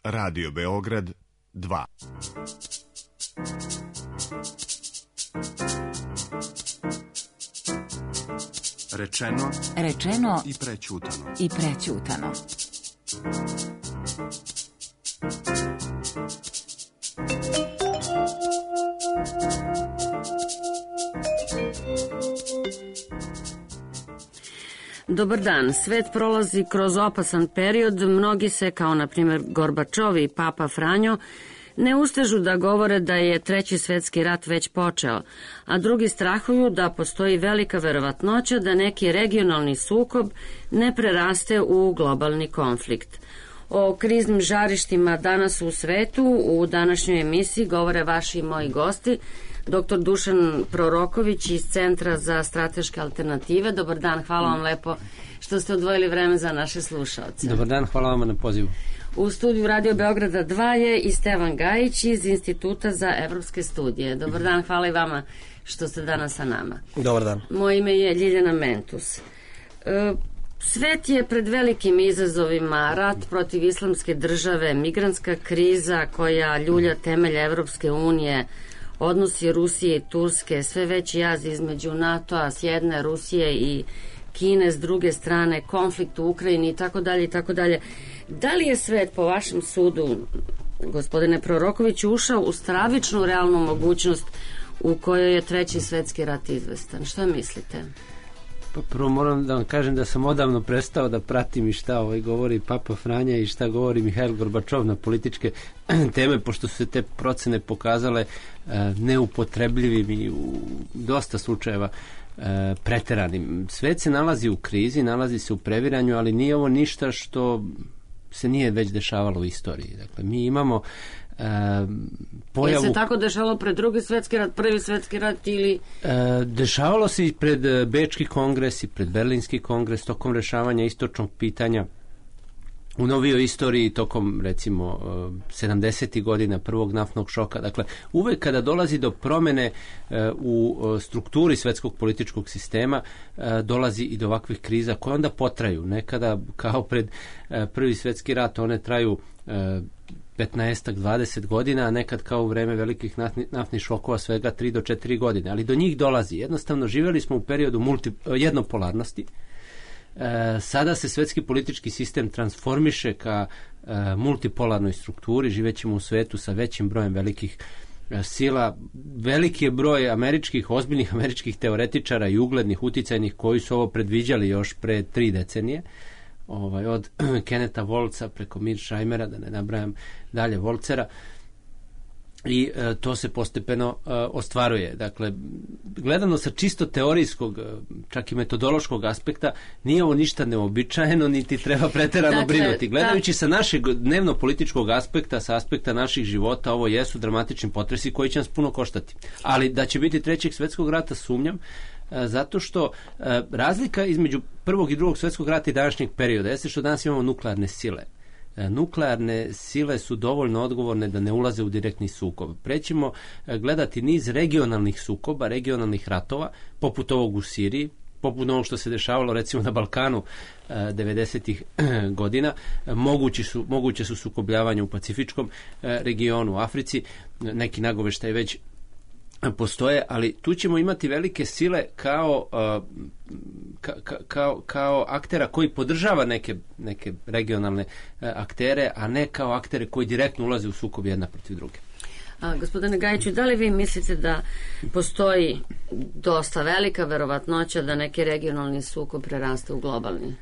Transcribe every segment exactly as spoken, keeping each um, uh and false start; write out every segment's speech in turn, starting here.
Radio Beograd dva. Rečeno, Rečeno i prećutano. i prećutano. Dobar dan. Svet prolazi kroz opasan period. Mnogi se, kao na primjer Gorbačov i Papa Franjo, ne ustežu da govore da je treći svetski rat već počeo, a drugi strahuju da postoji velika verovatnoća da neki regionalni sukob ne preraste u globalni konflikt. O kriznim žarištima danas u svetu u današnjoj emisiji govore vaši i moji gosti, doktor Dušan Proroković iz Centra za strateške alternative. Dobar dan, hvala vam lepo što ste odvojili vreme za naše slušaoce. Dobar dan, hvala vam na pozivu. U studiju Radio Beograda dva je i Stevan Gajić iz Instituta za evropske studije. Dobar dan, hvala i vama što ste danas sa nama. Dobar dan. Moje ime je Ljiljana Mentus. E, Svet je pred velikim izazovima, rat protiv islamske države, migrantska kriza koja ljulja temelje Evropske unije, odnosi Rusije i Turske, sve veći jaz između NATO-a s jedne, Rusije i Kine s druge strane, konflikt u Ukrajini i tako dalje i tako dalje. Da li je svet po vašem sudu, gospodine Prorokoviću, ušao u stravičnu realnu mogućnost u kojoj je treći svetski rat izvestan? Što mislite? Pa prvo moram da vam kažem da sam odavno prestao da pratim i šta ovaj govori Papa Franja i šta govori Mihail Gorbačov na političke teme, pošto su se te procene pokazale uh, neupotrebljivim i u dosta slučajeva uh, preteranim. Svet se nalazi u krizi, nalazi se u previranju, ali nije ovo ništa što se nije već dešavalo u istoriji. Dakle, mi imamo Uh, pojavu... Je se tako dešavalo pred drugi svetski rat, prvi svetski rat ili... Uh, dešavalo se i pred Bečki kongres i pred Berlinski kongres tokom rešavanja istočnog pitanja u novijoj istoriji tokom recimo uh, sedamdesetih godina prvog naftnog šoka. Dakle, uvek kada dolazi do promene uh, u uh, strukturi svetskog političkog sistema uh, dolazi i do ovakvih kriza koje onda potraju. Nekada kao pred uh, prvi svetski rat one traju uh, petnaest do dvadeset godina, a nekad kao u vreme velikih naftni, naftnih šokova svega tri do četiri godine, ali do njih dolazi. Jednostavno živjeli smo u periodu multi, jednopolarnosti. E, sada se svetski politički sistem transformiše ka e, multipolarnoj strukturi, živećemo u svetu sa većim brojem velikih e, sila. Veliki je broj američkih, ozbiljnih američkih teoretičara i uglednih, uticajnih koji su ovo predviđali još pre tri decenije. Ovaj, od Keneta Volca preko Mearshimera, da ne nabrajam dalje Volcera, i e, to se postepeno e, ostvaruje. Dakle, gledano sa čisto teorijskog, čak i metodološkog aspekta, nije ovo ništa neobičajeno, niti treba preterano dakle, brinuti. Gledajući da... sa našeg dnevno-političkog aspekta, sa aspekta naših života, ovo jesu dramatični potresi koji će nas puno koštati. Ali da će biti trećeg svetskog rata, sumnjam, zato što e, razlika između prvog i drugog svjetskog rata i današnjeg perioda jeste što danas imamo nuklearne sile. E, nuklearne sile su dovoljno odgovorne da ne ulaze u direktni sukob. Prećemo e, gledati niz regionalnih sukoba, regionalnih ratova, poput ovog u Siriji, poput ovog što se dešavalo recimo na Balkanu e, devedesetih godina. E, mogući su, moguće su sukobljavanja u Pacifičkom e, regionu, u Africi, neki nagoveštaj već postoje, ali tu ćemo imati velike sile kao, ka, ka, kao, kao aktera koji podržava neke, neke regionalne aktere, a ne kao aktere koji direktno ulaze u sukob jedna protiv druge. A, gospodine Gajiću, da li vi mislite da postoji dosta velika verovatnoća da neki regionalni sukob preraste u globalni?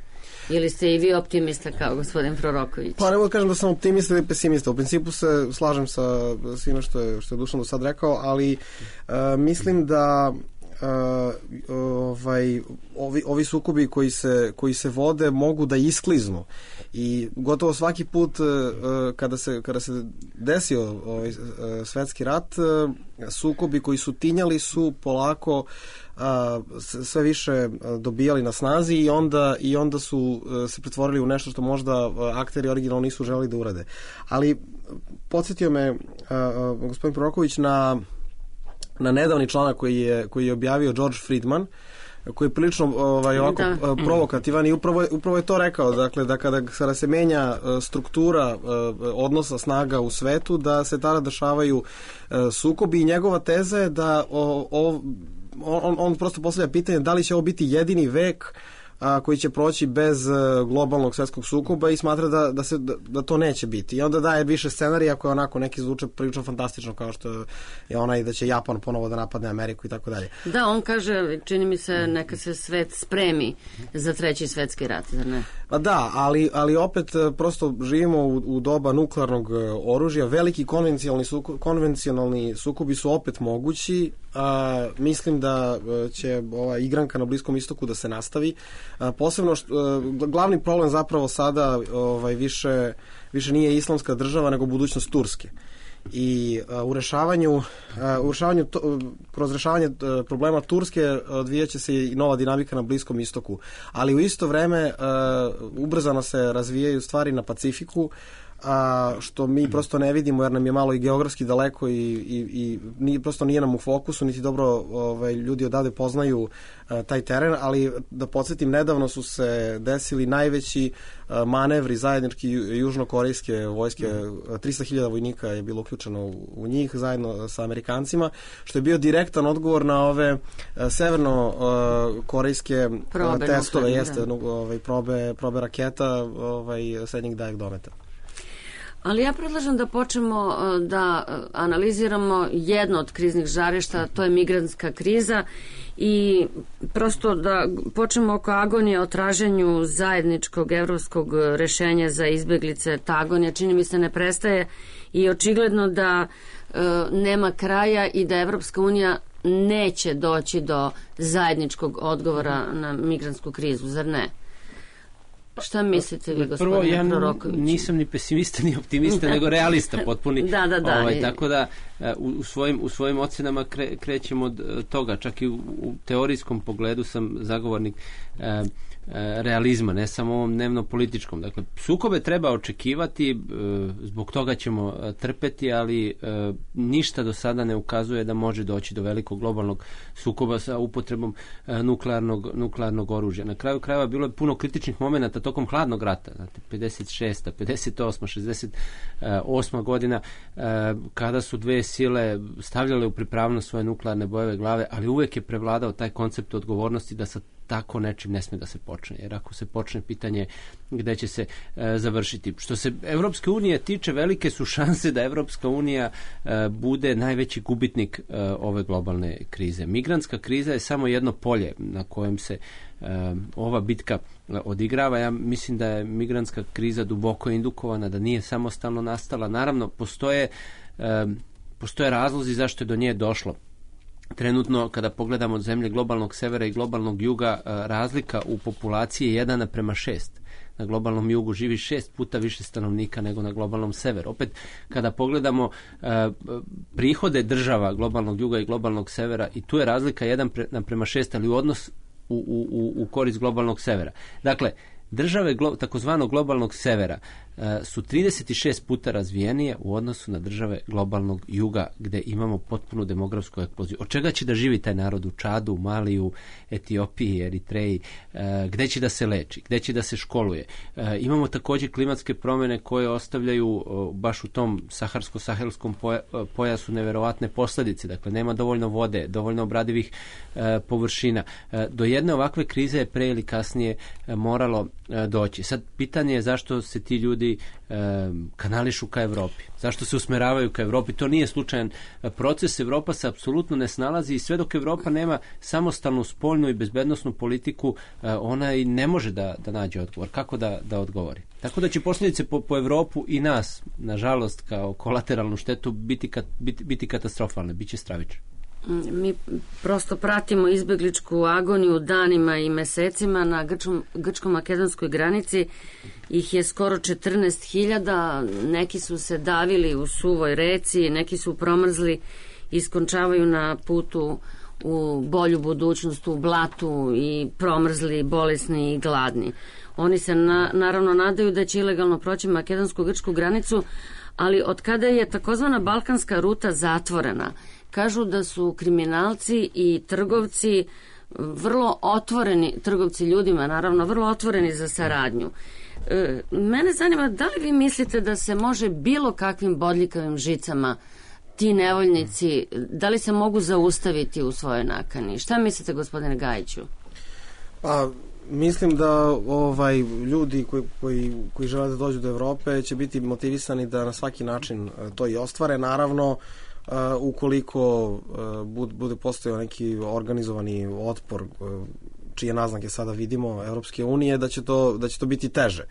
Ili ste i vi optimista kao gospodin Proroković? Pa ne mogu kažem da sam optimista ili pesimista. U principu se slažem sa svime što je, što je Dušan do sad rekao, ali uh, mislim da uh, ovaj, ovi, ovi sukobi koji se, koji se vode mogu da iskliznu. I gotovo svaki put uh, kada, se, kada se desio ovaj, uh, svetski rat, uh, sukobi koji su tinjali su polako a, sve više dobijali na snazi i onda, i onda su se pretvorili u nešto što možda akteri originalno nisu želeli da urade. Ali podsjetio me a, a, gospodin Proroković na, na nedavni članak koji je, koji je objavio George Friedman, koji je prilično ovaj, ovako Da. provokativan i upravo je, upravo je to rekao, dakle, da kada, kada se menja struktura odnosa snaga u svetu, da se tada dešavaju sukobi i njegova teza je da o, o, on, on prosto postavlja pitanje da li će ovo biti jedini vek a, koji će proći bez globalnog svetskog sukoba i smatra da, da, se, da, da to neće biti. I onda daje više scenarija koje onako neki zvuče prilično fantastično, kao što je onaj da će Japan ponovo da napadne Ameriku i tako dalje. Da, on kaže, čini mi se, neka se svet spremi za treći svetski rat, zar ne? Pa da, ali, ali opet prosto živimo u, u doba nuklearnog oružja. Veliki konvencionalni, suko, konvencionalni sukobi su opet mogući. A, mislim da će ova igranka na Bliskom istoku da se nastavi. A, posebno što, a, glavni problem zapravo sada ovaj, više, više nije islamska država nego budućnost Turske. I a, u rešavanju, a, u rešavanju to, kroz rešavanje a, problema Turske odvijaće se i nova dinamika na Bliskom istoku, ali u isto vreme a, ubrzano se razvijaju stvari na Pacifiku, a što mi prosto ne vidimo jer nam je malo i geografski daleko i, i, i nije, prosto nije nam u fokusu, niti dobro ovaj, ljudi odavde poznaju a, taj teren, ali da podsjetim, nedavno su se desili najveći a, manevri zajednički južnokorejske vojske, trista hiljada vojnika je bilo uključeno u, u njih zajedno sa Amerikancima, što je bio direktan odgovor na ove a, severno-korejske probe, testove, nuklearne, jeste, da. ovaj, probe, probe raketa ovaj, srednjeg daljeg dometa. Ali ja predlažem da počnemo da analiziramo jedno od kriznih žarišta, to je migrantska kriza i prosto da počnemo oko agonije o traženju zajedničkog evropskog rešenja za izbeglice. Ta agonija, čini mi se, ne prestaje i očigledno da e, nema kraja i da Evropska unija neće doći do zajedničkog odgovora na migrantsku krizu, zar ne? Šta mislite vi, gospodine Prvo, ja Proroković? nisam ni pesimista ni optimista, nego realista potpuni. Da, da, da. Ovaj, tako da u, u, svojim, u svojim ocenama kre, krećemo od toga. Čak i u, u teorijskom pogledu sam zagovornik e, e, realizma, ne samo ovom dnevno-političkom. Dakle, sukobe treba očekivati, e, zbog toga ćemo trpeti, ali e, ništa do sada ne ukazuje da može doći do velikog globalnog sukoba sa upotrebom e, nuklearnog, nuklearnog oružja. Na kraju krajeva bilo je puno kritičnih momenata tokom hladnog rata, znate, pedeset šesta, pedeset osma, šezdeset osma godina, e, kada su dve sile stavljale u pripravnost svoje nuklearne bojeve glave, ali uvek je prevladao taj koncept odgovornosti da sa tako nečim ne sme da se počne, jer ako se počne, pitanje gde će se e, završiti. Što se Evropske unije tiče, velike su šanse da Evropska unija e, bude najveći gubitnik e, ove globalne krize. Migrantska kriza je samo jedno polje na kojem se e, ova bitka odigrava. Ja mislim da je migrantska kriza duboko indukovana, da nije samostalno nastala. Naravno, postoje e, postoje razlozi zašto je do nje došlo. Trenutno, kada pogledamo zemlje globalnog severa i globalnog juga, razlika u populaciji je jedan naprema šest. Na globalnom jugu živi šest puta više stanovnika nego na globalnom severu. Opet, kada pogledamo uh, prihode država globalnog juga i globalnog severa, i tu je razlika jedan naprema šest, ali u odnos u, u, u korist globalnog severa. Dakle, države glo, takozvanog globalnog severa uh, su trideset šest puta razvijenije u odnosu na države globalnog juga, gde imamo potpunu demografsku eksploziju. Od čega će da živi taj narod u Čadu, Maliju, Etiopiji, Eritreji, uh, gde će da se leči, gde će da se školuje. Uh, imamo takođe klimatske promene koje ostavljaju uh, baš u tom saharsko-sahelskom poja, uh, pojasu neverovatne posledice. Dakle, nema dovoljno vode, dovoljno obradivih uh, površina. Uh, do jedne ovakve krize je pre ili kasnije uh, moralo doći. Sad, pitanje je zašto se ti ljudi e, kanališu ka Evropi. Zašto se usmeravaju ka Evropi? To nije slučajan proces. Evropa se apsolutno ne snalazi i sve dok Evropa nema samostalnu spoljnu i bezbednosnu politiku, e, ona i ne može da, da nađe odgovor. Kako da, da odgovori? Tako da će posljedice po, po Evropu i nas, nažalost, kao kolateralnu štetu biti, kat, biti, biti katastrofalne, biće stravične. Mi prosto pratimo izbegličku agoniju danima i mesecima na grčkom, grčko-makedonskoj granici. Ih je skoro četrnaest hiljada, neki su se davili u suvoj reci, neki su promrzli, iskončavaju na putu u bolju budućnost, u blatu i promrzli, bolesni i gladni. Oni se na, naravno nadaju da će ilegalno proći makedonsko-grčku granicu, ali od kada je takozvana balkanska ruta zatvorena, kažu da su kriminalci i trgovci vrlo otvoreni trgovci ljudima, naravno vrlo otvoreni za saradnju. E, mene zanima, da li vi mislite da se može bilo kakvim bodljikavim žicama ti nevoljnici, da li se mogu zaustaviti u svojoj nakani? Šta mislite, gospodine Gajiću? Pa, mislim da ovaj ljudi koji, koji, koji žele da dođu do Evrope će biti motivisani da na svaki način to i ostvare. Naravno, uh, ukoliko uh, bude postojao neki organizovani otpor, uh, čije naznake sada vidimo Evropske unije, da će to, da će to biti teže.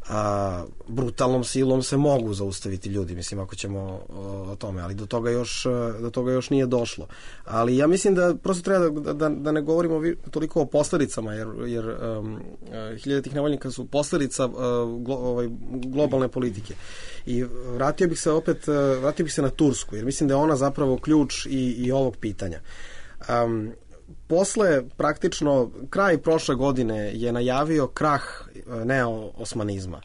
A, brutalnom silom se mogu zaustaviti ljudi, mislim, ako ćemo o, o tome, ali do toga još, do toga još nije došlo. Ali ja mislim da prosto treba da, da, da ne govorimo toliko o posledicama, jer, jer um, hiljade tih nevoljnika su posledica uh, glo, ovaj, globalne politike. I vratio bih se opet, uh, vratio bih se na Tursku, jer mislim da je ona zapravo ključ i, i ovog pitanja. Um, Posle, praktično, kraj prošle godine je najavio krah neo-osmanizma.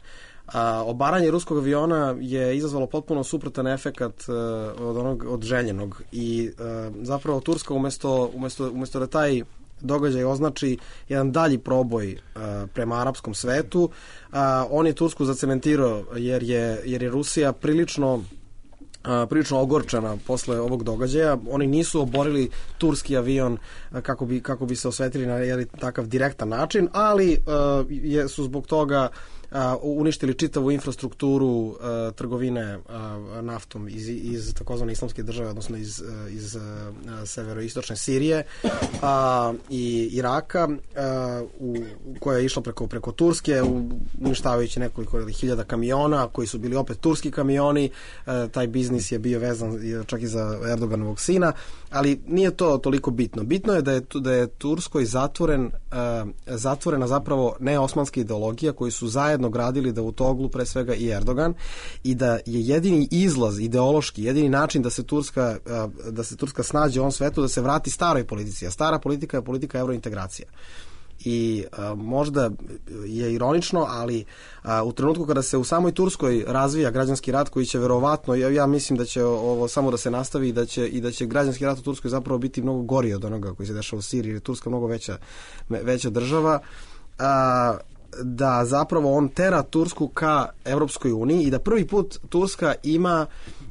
A obaranje ruskog aviona je izazvalo potpuno suprotan efekat od onog od željenog i zapravo Turska umesto, umesto, umesto da taj događaj označi jedan dalji proboj prema arapskom svetu, on je Tursku zacementirao jer je, jer je Rusija prilično Uh, prilično ogorčena posle ovog događaja. Oni nisu oborili turski avion uh, kako bi, kako bi se osvetili na jedan takav direktan način, ali uh, je, su zbog toga uh, uništili čitavu infrastrukturu uh, trgovine uh, naftom iz, iz takozvane islamske države, odnosno iz, uh, iz uh, severoistočne Sirije uh, i Iraka, uh, u, koja je išla preko, preko Turske, uništavajući nekoliko hiljada kamiona koji su bili opet turski kamioni. Uh, taj biznis je bio vezan čak i za Erdoganovog sina, ali nije to toliko bitno. Bitno je da je, da je Turskoj zatvoren, uh, zatvorena zapravo neosmanska ideologija koju su zajedno gradili Davutoglu, pre svega i Erdogan, i da je jedini izlaz ideološki, jedini način da se Turska, uh, da se Turska snađe u ovom svetu, da se vrati staroj politici, a stara politika je politika evrointegracija. I a, možda je ironično, ali a, u trenutku kada se u samoj Turskoj razvija građanski rat koji će verovatno, ja, ja mislim da će ovo samo da se nastavi i da će, i da će građanski rat u Turskoj zapravo biti mnogo gori od onoga koji se dešava u Siriji, jer je Turska mnogo veća, veća država, a, da zapravo on tera Tursku ka Evropskoj uniji i da prvi put Turska ima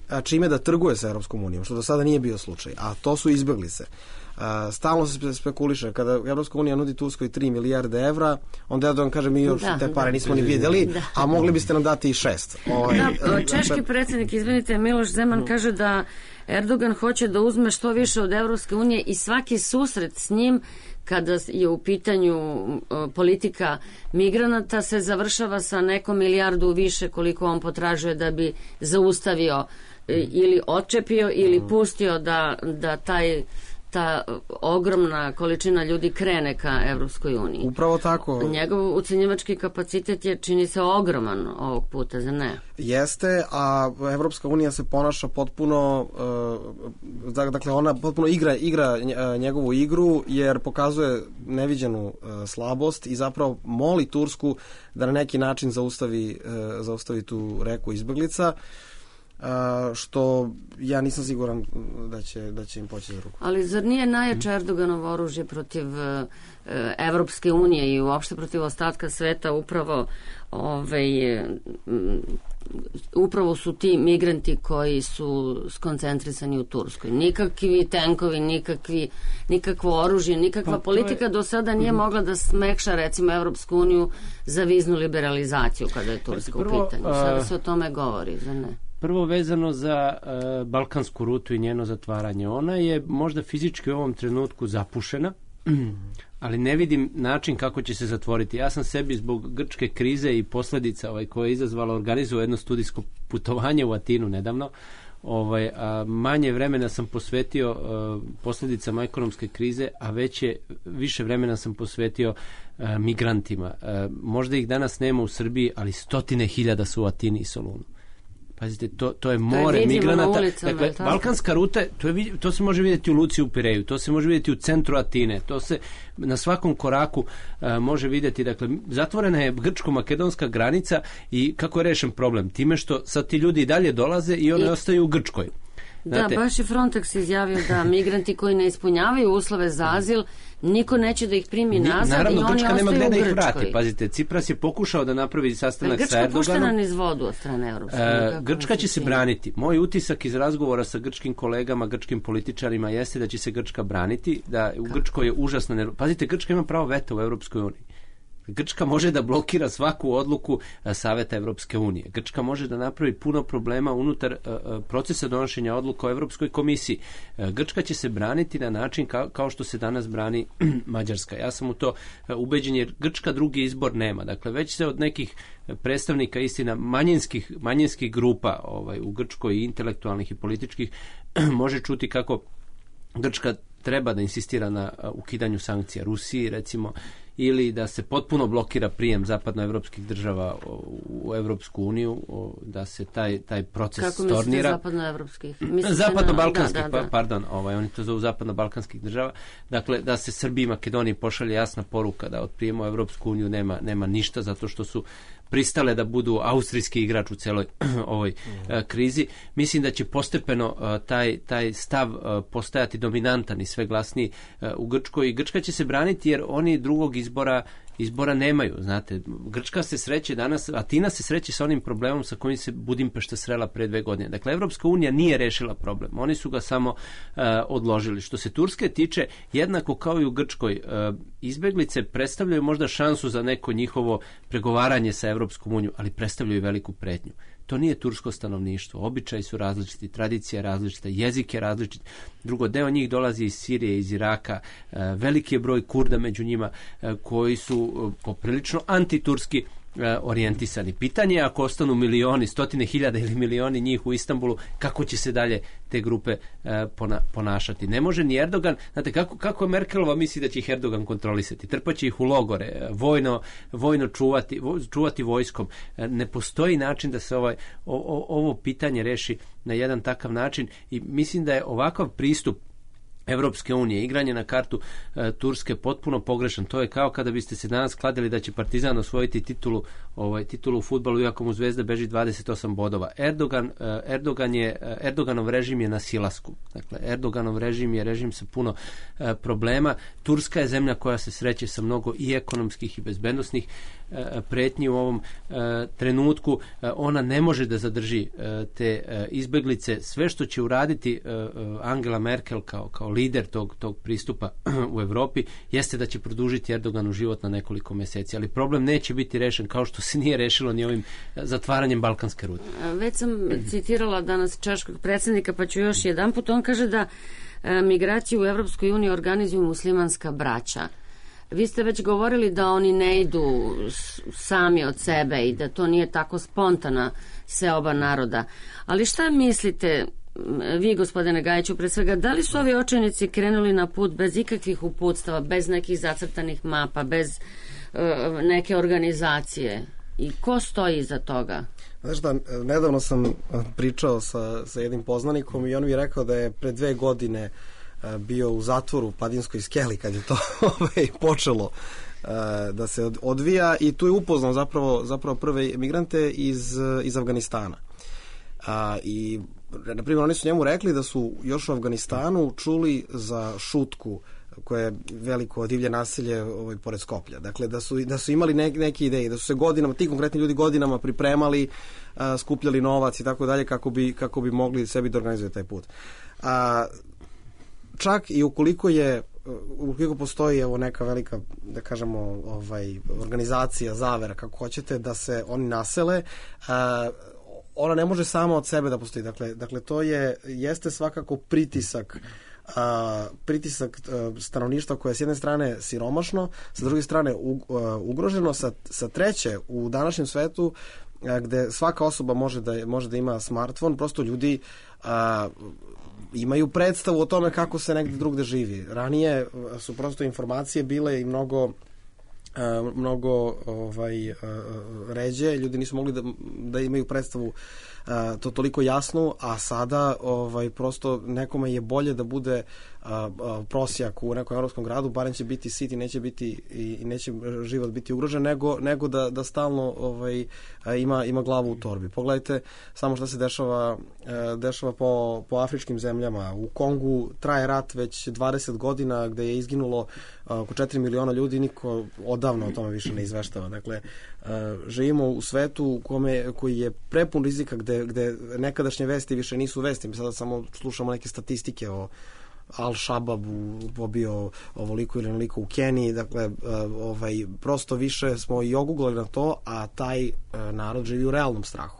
a, čime da trguje sa Evropskom unijom, što do sada nije bio slučaj, a to su izbeglice. Uh, stalno se spekuliše, kada Evropska unija nudi Turskoj tri milijarde evra, onda Erdogan kaže mi još da, te pare da, nismo ni vidjeli, da. A mogli biste nam dati i šest. Ovaj, da, češki predsjednik, izvinite, Miloš Zeman kaže da Erdogan hoće da uzme što više od Evropske unije i svaki susret s njim kada je u pitanju politika migranata se završava sa nekom milijardu više koliko on potražuje da bi zaustavio ili odčepio ili pustio da, da taj ta ogromna količina ljudi krene ka Evropskoj uniji. Upravo tako. Njegov ucenjivački kapacitet je, čini se, ogroman ovog puta, za ne? Jeste, a Evropska unija se ponaša potpuno, uh, dakle ona potpuno igra, igra njegovu igru, jer pokazuje neviđenu uh, slabost i zapravo moli Tursku da na neki način zaustavi, uh, zaustavi tu reku izbeglica. Uh, što ja nisam siguran da će, da će im poći za ruku. Ali zar nije najjače Erdoganovo oružje protiv uh, Evropske unije i uopšte protiv ostatka sveta upravo ovaj, um, upravo su ti migranti koji su skoncentrisani u Turskoj. Nikakvi tenkovi, nikakvi, nikakvo oružje, nikakva pa, politika je... do sada nije mogla da smekša recimo Evropsku uniju za viznu liberalizaciju kada je Turska prvo, u pitanju. Sada se o tome govori, zar ne? Prvo vezano za uh, balkansku rutu i njeno zatvaranje. Ona je možda fizički u ovom trenutku zapušena, ali ne vidim način kako će se zatvoriti. Ja sam sebi zbog grčke krize i posledica ovaj, koje je izazvala organizuo jedno studijsko putovanje u Atinu nedavno. Ovaj, a manje vremena sam posvetio uh, posljedicama ekonomske krize, a veće, više vremena sam posvetio uh, migrantima. Uh, možda ih danas nema u Srbiji, ali stotine hiljada su u Atini i Solunu. Pazite, to, to je more migranata. Dakle, balkanska ruta, to, je, to se može vidjeti u Luci u Pireju, to se može vidjeti u centru Atine, to se na svakom koraku uh, može vidjeti. Dakle, zatvorena je grčko-makedonska granica i kako je rešen problem? Time što sad ti ljudi i dalje dolaze i oni I... ostaju u Grčkoj. Da, baš je Frontex izjavio da migranti koji ne ispunjavaju uslove za azil, niko neće da ih primi nazad. Naravno, i oni Grčka nema ostaju gde u da ih Grčkoj. vrati. Pazite, Cipras je pokušao da napravi sastanak Grčka sa Erdoganom. puštena niz vodu od strane Europske unije. E, Grčka će se braniti. Moj utisak iz razgovora sa grčkim kolegama, grčkim političarima jeste da će se Grčka braniti, da u Grčkoj je užasno nervo. Pazite, Grčka ima pravo veta u Europskoj uniji. Grčka može da blokira svaku odluku Saveta Evropske unije. Grčka može da napravi puno problema unutar uh, procesa donošenja odluka o Evropskoj komisiji. Uh, Grčka će se braniti na način kao, kao što se danas brani Mađarska. Ja sam u to uh, ubeđen jer Grčka drugi izbor nema. Dakle, već se od nekih predstavnika istina manjinskih, manjinskih grupa ovaj, u Grčkoj i intelektualnih i političkih može čuti kako Grčka treba da insistira na ukidanju sankcija Rusiji, recimo, ili da se potpuno blokira prijem zapadnoevropskih država u Evropsku uniju, da se taj, taj proces Kako stornira. Kako mislite zapadnoevropskih? Zapadno-balkanskih, da, da, da. Pa, pardon, ovaj, oni to zovu zapadno-balkanskih država. Dakle, da se Srbiji i Makedoniji pošalje jasna poruka da od prijema u Evropsku uniju nema, nema ništa, zato što su pristale da budu austrijski igrač u celoj ovoj mm. uh, krizi. Mislim da će postepeno uh, taj, taj stav uh, postajati dominantan i sve glasniji uh, u Grčkoj. I Grčka će se braniti jer oni drugog izbora izbora nemaju, znate. Grčka se sreće danas, Atina se sreće sa onim problemom sa kojim se Budimpešta srela pre dve godine. Dakle, Evropska unija nije rešila problem. Oni su ga samo uh, odložili. Što se Turske tiče, jednako kao i u Grčkoj, uh, izbeglice predstavljaju možda šansu za neko njihovo pregovaranje sa Evropskom unijom, ali predstavljaju veliku pretnju. To nije tursko stanovništvo. Običaji su različiti, tradicija je različita, jezik je različit. Drugo, deo njih dolazi iz Sirije, iz Iraka. Veliki je broj Kurda među njima koji su poprilično antiturski orijentisani. Pitanje je ako ostanu milioni, stotine hiljada ili milioni njih u Istanbulu, kako će se dalje te grupe ponašati. Ne može ni Erdogan, znate, kako, kako Merkelova misli da će ih Erdogan kontrolisati? Trpaće ih u logore, vojno, vojno čuvati, čuvati vojskom. Ne postoji način da se ovaj, o, ovo pitanje reši na jedan takav način i mislim da je ovakav pristup Evropske unije, igranje na kartu e, Turske potpuno pogrešan. To je kao kada biste se danas kladili da će Partizan osvojiti titulu, ovaj, titulu u fudbalu iako mu Zvezda beži dvadeset osam bodova. Erdogan, e, Erdogan je, Erdoganov režim je na silasku. Dakle, Erdoganov režim je režim sa puno e, problema. Turska je zemlja koja se sreće sa mnogo i ekonomskih i bezbednosnih e, pretnji u ovom e, trenutku. E, ona ne može da zadrži e, te e, izbeglice. Sve što će uraditi e, Angela Merkel kao, kao lider tog, tog pristupa u Evropi jeste da će produžiti Erdoganu život na nekoliko meseci, ali problem neće biti rešen kao što se nije rešilo ni ovim zatvaranjem balkanske rute. Već sam citirala danas češkog predsjednika, pa ću još jedan put. On kaže da e, migraciju u Evropskoj uniji organizuju muslimanska braća. Vi ste već govorili da oni ne idu sami od sebe i da to nije tako spontana seoba naroda. Ali šta mislite vi, gospodine Gajiću, pre svega, da li su ovi očajnici krenuli na put bez ikakvih uputstava, bez nekih zacrtanih mapa, bez uh, neke organizacije? I ko stoji iza toga? Znaš da, nedavno sam pričao sa, sa jednim poznanikom i on mi je rekao da je pre dve godine bio u zatvoru u Padinskoj skeli kad je to ovaj, počelo da se odvija i tu je upoznao zapravo, zapravo prve migrante iz, iz Afganistana. A, i na primjer oni su njemu rekli da su još u Afganistanu čuli za Šutku koje je veliko divlje naselje ovaj, pored Skoplja. Dakle, da su, da su imali ne, neke ideje, da su se godinama, ti konkretni ljudi godinama pripremali, a, skupljali novac i tako dalje kako bi, kako bi mogli sebi da organizuju taj put. A, čak i ukoliko je ukoliko postoji evo neka velika, da kažemo, ovaj, organizacija, zavera, kako hoćete, da se oni nasele, a, ona ne može sama od sebe da postoji. Dakle, dakle to je, jeste svakako pritisak a, pritisak a, stanovništva koje je s jedne strane siromašno, sa druge strane u, a, ugroženo, sa, sa treće u današnjem svetu a, gde svaka osoba može da, može da ima smartfon, prosto ljudi a, imaju predstavu o tome kako se negde drugde živi. Ranije su prosto informacije bile i mnogo Uh, mnogo ovaj, uh, ređe, ljudi nisu mogli da, da imaju predstavu uh, to toliko jasno, a sada ovaj, prosto nekome je bolje da bude a, a, prosjak u nekom evropskom gradu, barem će biti sit i neće biti i, i neće život biti ugrožen, nego, nego da, da stalno ovaj, ima, ima glavu u torbi. Pogledajte samo što se dešava, dešava po, po afričkim zemljama. U Kongu traje rat već dvadeset godina gde je izginulo oko četiri miliona ljudi, niko odavno o tome više ne izveštava. Dakle, živimo u svetu u kome, koji je prepun rizika, gde, gde nekadašnje vesti više nisu vesti. Mi sada samo slušamo neke statistike o Al-Shababu pobio ovoliko ili onoliko u Keniji, dakle ovaj, prosto više smo i oguglali na to, a taj narod živi u realnom strahu.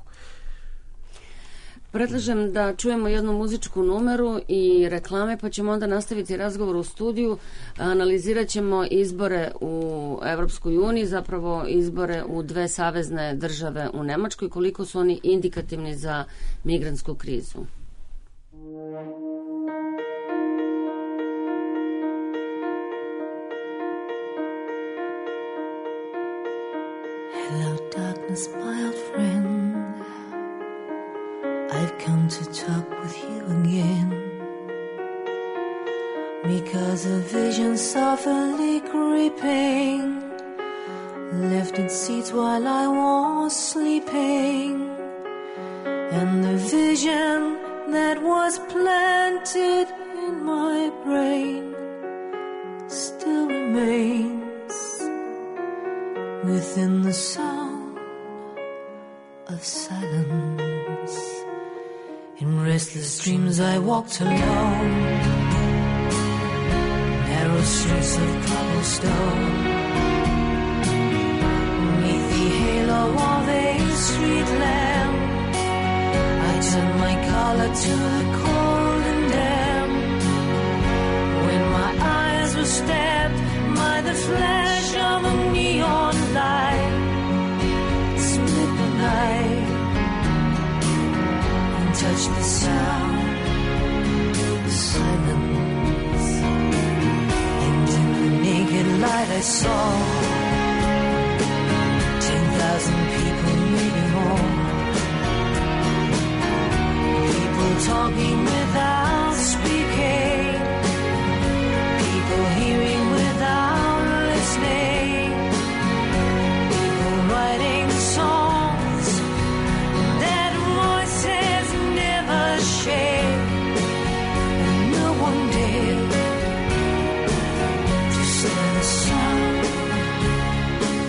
Predlažem da čujemo jednu muzičku numeru i reklame, pa ćemo onda nastaviti razgovor u studiju. Analizirat ćemo izbore u Evropskoj uniji, zapravo izbore u dve savezne države u Nemačkoj, koliko su oni indikativni za migrantsku krizu. Hello darkness, my old friend, I've come to talk with you again, because a vision softly creeping left its seats while I was sleeping, and the vision that was planted in my brain still remains within the sound of silence. In restless dreams I walked alone, narrow streets of cobblestone, beneath the halo of a street lamp. I turned my collar to the cold and damp, when my eyes were stabbed by the flash of a neon light. Split the night and touched the sound of silence, and in the naked light I saw ten thousand people, maybe more, people talking without speaking, people hearing without listening, people writing songs that voices never shared, and no one dared to say the sound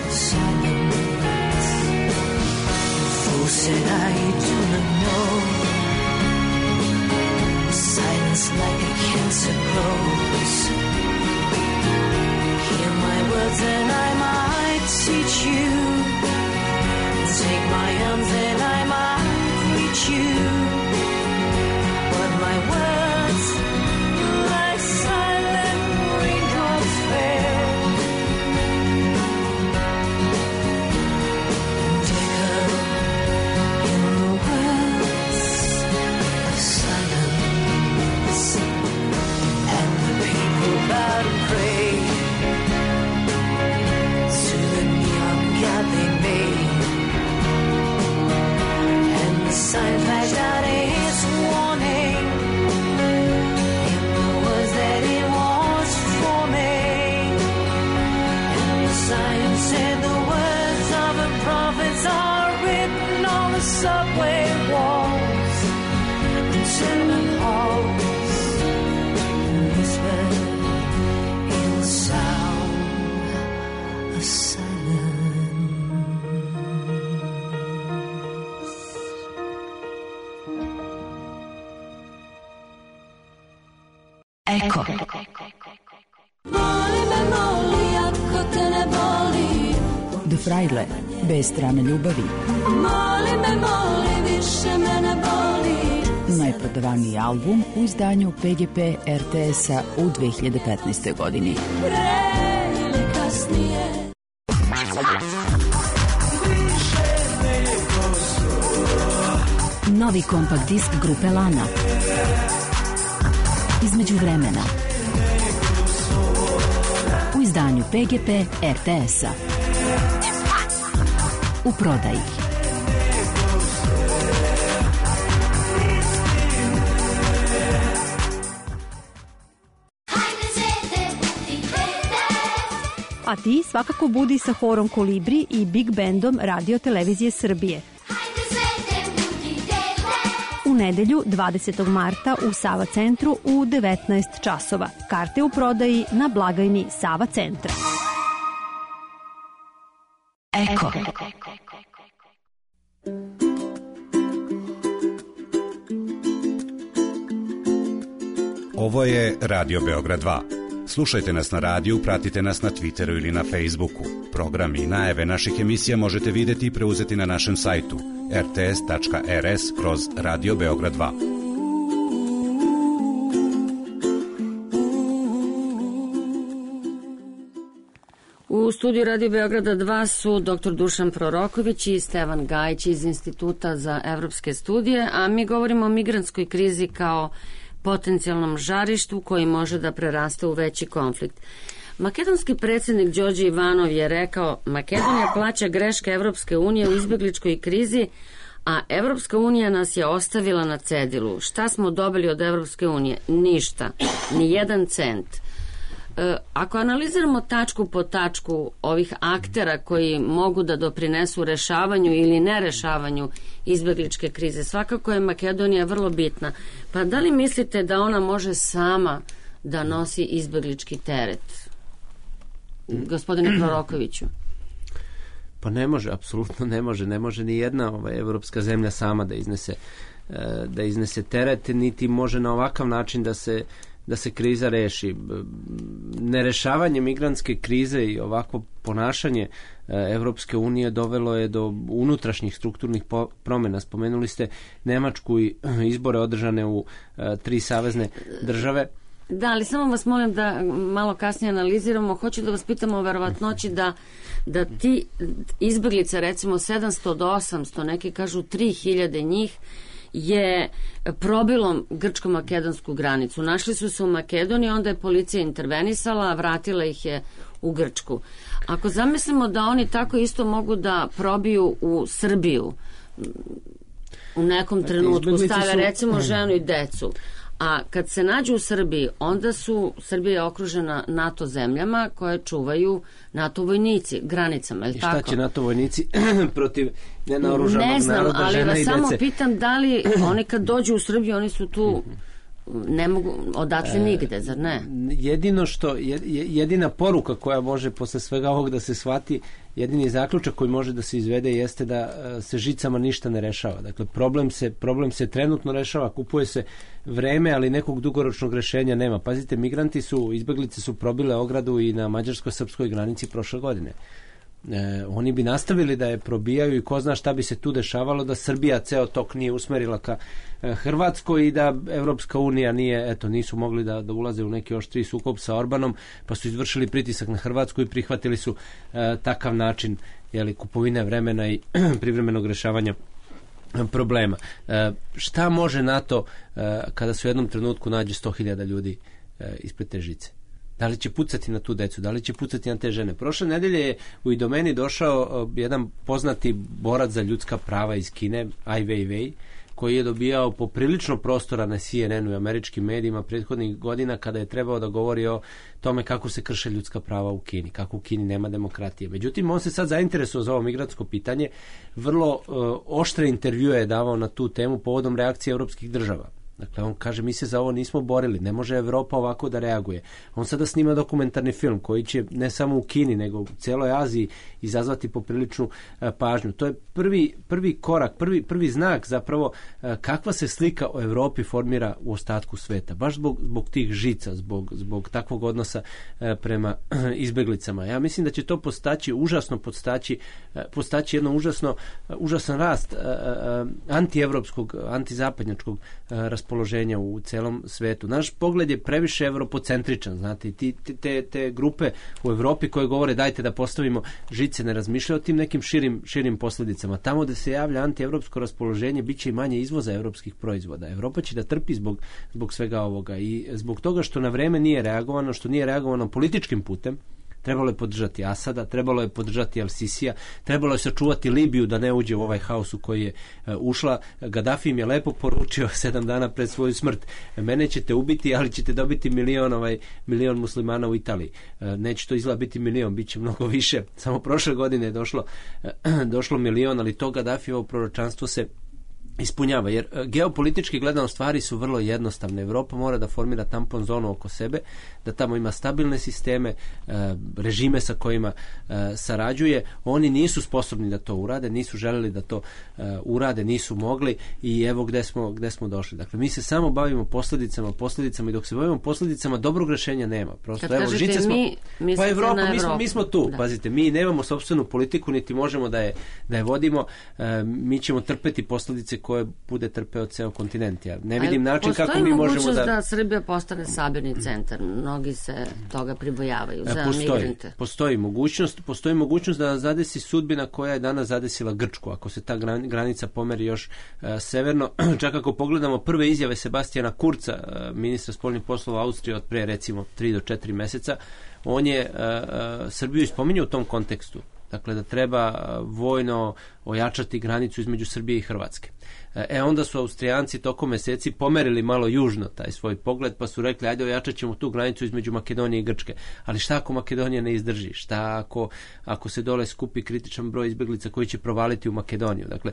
of silence. The fool said, I do not know, silence like a cancer grows. Hear my words and I might teach you, take my arms and I might reach you, but my words like silent raindrops fell and echo in the wells of silence, and the people bowed and prayed to the neon god they made, and the sign flashed out its warning in the words that it was forming, and the sign said the words of the prophets are written on the subway walls and tenement halls, and whispered in the sound of silence. Eko. Moli me, moli, ako te ne boli. De Frajle, bez strane ljubavi. Moli me, moli, više me ne boli. Najprodavaniji album u izdanju P G P R T S-a u dve hiljade petnaestoj godini. Pre ili kasnije. Novi kompakt disk grupe Lana. Između vremena. U izdanju P G P R T S-a. U prodaji. a ti svakako budi sa horom Kolibri i Big Bandom Radio Televizije Srbije. U nedelju dvadesetog marta u Sava centru u devetnaest časova. Karte u prodaji na blagajni Sava centra. Eko. Ovo je Radio Beograd dva. Slušajte nas na radiju, pratite nas na Twitteru ili na Facebooku. Program i najave naših emisija možete vidjeti i preuzeti na našem sajtu er te es tačka er es kroz Radio Beograd dva. U studiju Radio Beograda dva su doktor Dušan Proroković i Stevan Gajić iz Instituta za evropske studije, a mi govorimo o migrantskoj krizi kao potencijalnom žarištu koji može da preraste u veći konflikt. Makedonski predsjednik Đorđe Ivanov je rekao: Makedonija plaća greške Evropske unije u izbegličkoj krizi, a Evropska unija nas je ostavila na cedilu. Šta smo dobili od Evropske unije? Ništa. Ni jedan cent. E, ako analiziramo tačku po tačku ovih aktera koji mogu da doprinesu rešavanju ili nerešavanju izbegličke krize, svakako je Makedonija vrlo bitna. Pa da li mislite da ona može sama da nosi izbeglički teret? Gospodine Prorokoviću. Pa ne može, apsolutno ne može. Ne može ni jedna ovaj, evropska zemlja sama da iznese, da iznese teret, niti može na ovakav način da se da se kriza reši. Nerešavanje migrantske krize i ovakvo ponašanje Evropske unije dovelo je do unutrašnjih strukturnih promjena. Spomenuli ste Nemačku i izbore održane u tri savezne države. Da, ali samo vas molim da malo kasnije analiziramo. Hoću da vas pitamo o verovatnoći da, da ti izbeglice, recimo sedamsto do osamsto, neki kažu tri hiljade njih, je probilo grčko-makedonsku granicu. Našli su se u Makedoniji, onda je policija intervenisala, vratila ih je u Grčku. Ako zamislimo da oni tako isto mogu da probiju u Srbiju, u nekom trenutku stave recimo ženu i decu, a kad se nađu u Srbiji, onda su Srbija okružena NATO zemljama koje čuvaju NATO vojnici granicama, je li tako? I šta će NATO vojnici protiv nenaoružanog naroda, žena i dece? Ne znam, ali vas samo pitam da li oni kad dođu u Srbiju, oni su tu, ne mogu odatle nigde, zar ne? Jedino što, jedina poruka koja može posle svega ovog da se shvati, jedini zaključak koji može da se izvede jeste da se žicama ništa ne rešava. Dakle, problem se, problem se trenutno rešava, kupuje se vreme, ali nekog dugoročnog rešenja nema. Pazite, migranti su, izbeglice su probile ogradu i na mađarsko-srpskoj granici prošle godine. E, oni bi nastavili da je probijaju i ko zna šta bi se tu dešavalo da Srbija ceo tok nije usmerila ka e, Hrvatskoj i da Evropska unija nije, eto, nisu mogli da, da ulaze u neki oštri sukob sa Orbanom, pa su izvršili pritisak na Hrvatsku i prihvatili su e, takav način, jeli, kupovine vremena i privremenog rešavanja problema. E, šta može NATO e, kada se u jednom trenutku nađe sto hiljada ljudi e, ispred te žice? Da li će pucati na tu decu, da li će pucati na te žene? Prošle nedelje je u Idomeni došao jedan poznati borac za ljudska prava iz Kine, Ai Weiwei, koji je dobijao poprilično prostora na C N N-u i američkim medijima prethodnih godina kada je trebao da govori o tome kako se krše ljudska prava u Kini, kako u Kini nema demokratije. Međutim, on se sad zainteresuo za ovo migrantsko pitanje, vrlo uh, oštre intervjue je davao na tu temu povodom reakcije evropskih država. Dakle, on kaže, mi se za ovo nismo borili, ne može Evropa ovako da reaguje. On sada snima dokumentarni film koji će ne samo u Kini, nego u cijeloj Aziji izazvati popriličnu e, pažnju. To je prvi, prvi korak, prvi, prvi znak zapravo e, kakva se slika o Evropi formira u ostatku sveta. Baš zbog, zbog tih žica, zbog, zbog takvog odnosa e, prema e, izbeglicama. Ja mislim da će to postaći, užasno postaći, e, postaći jedno užasno, e, užasan rast e, e, antievropskog, antizapadnjačkog e, raspoloženja u celom svetu. Naš pogled je previše evropocentričan, znate, ti, te, te grupe u Evropi koje govore dajte da postavimo žice, ne razmišljaju o tim nekim širim, širim posljedicama. Tamo da se javlja antievropsko raspoloženje, bit će i manje izvoza evropskih proizvoda. Evropa će da trpi zbog, zbog svega ovoga i zbog toga što na vreme nije reagovano, što nije reagovano političkim putem, Trebalo je podržati Asada, trebalo je podržati Al-Sisija, trebalo je sačuvati Libiju da ne uđe u ovaj haos u koji je uh, ušla. Gaddafi im je lepo poručio sedam dana pred svoju smrt: mene ćete ubiti, ali ćete dobiti milion, ovaj, milion muslimana u Italiji. Uh, neće to izgleda biti milion, bit će mnogo više. Samo prošle godine je došlo, uh, došlo milion, ali to Gaddafijevo proročanstvo se ispunjava, jer geopolitički gledano stvari su vrlo jednostavne. Evropa mora da formira tampon zonu oko sebe, da tamo ima stabilne sisteme, režime sa kojima sarađuje. Oni nisu sposobni da to urade, nisu želeli da to urade, nisu mogli i evo gde smo, gde smo došli. Dakle, mi se samo bavimo posljedicama, posljedicama i dok se bavimo posljedicama, dobrog rešenja nema. Prosto, kad evo, kažete smo, mi, pa Evropa, na mi smo, mi smo tu, da. Pazite, mi nemamo sopstvenu politiku, niti možemo da je, da je vodimo, mi ćemo trpeti posledice koje bude trpeo ceo kontinent. Ja ne vidim način kako mi možemo da... Postoji mogućnost da Srbija postane sabirni centar. Mnogi se toga pribojavaju za postoji, migrante. Postoji mogućnost, postoji mogućnost da zadesi sudbina koja je danas zadesila Grčku. Ako se ta granica pomeri još uh, severno, čak ako pogledamo prve izjave Sebastijana Kurca, uh, ministra spoljnih poslova Austrije od pre recimo tri do četiri meseca, on je uh, uh, Srbiju ispominjao u tom kontekstu. Dakle, da treba vojno ojačati granicu između Srbije i Hrvatske. E, onda su Austrijanci tokom meseci pomerili malo južno taj svoj pogled, pa su rekli, ajde ojačat ćemo tu granicu između Makedonije i Grčke. Ali šta ako Makedonija ne izdrži? Šta ako, ako se dole skupi kritičan broj izbeglica koji će provaliti u Makedoniju? Dakle,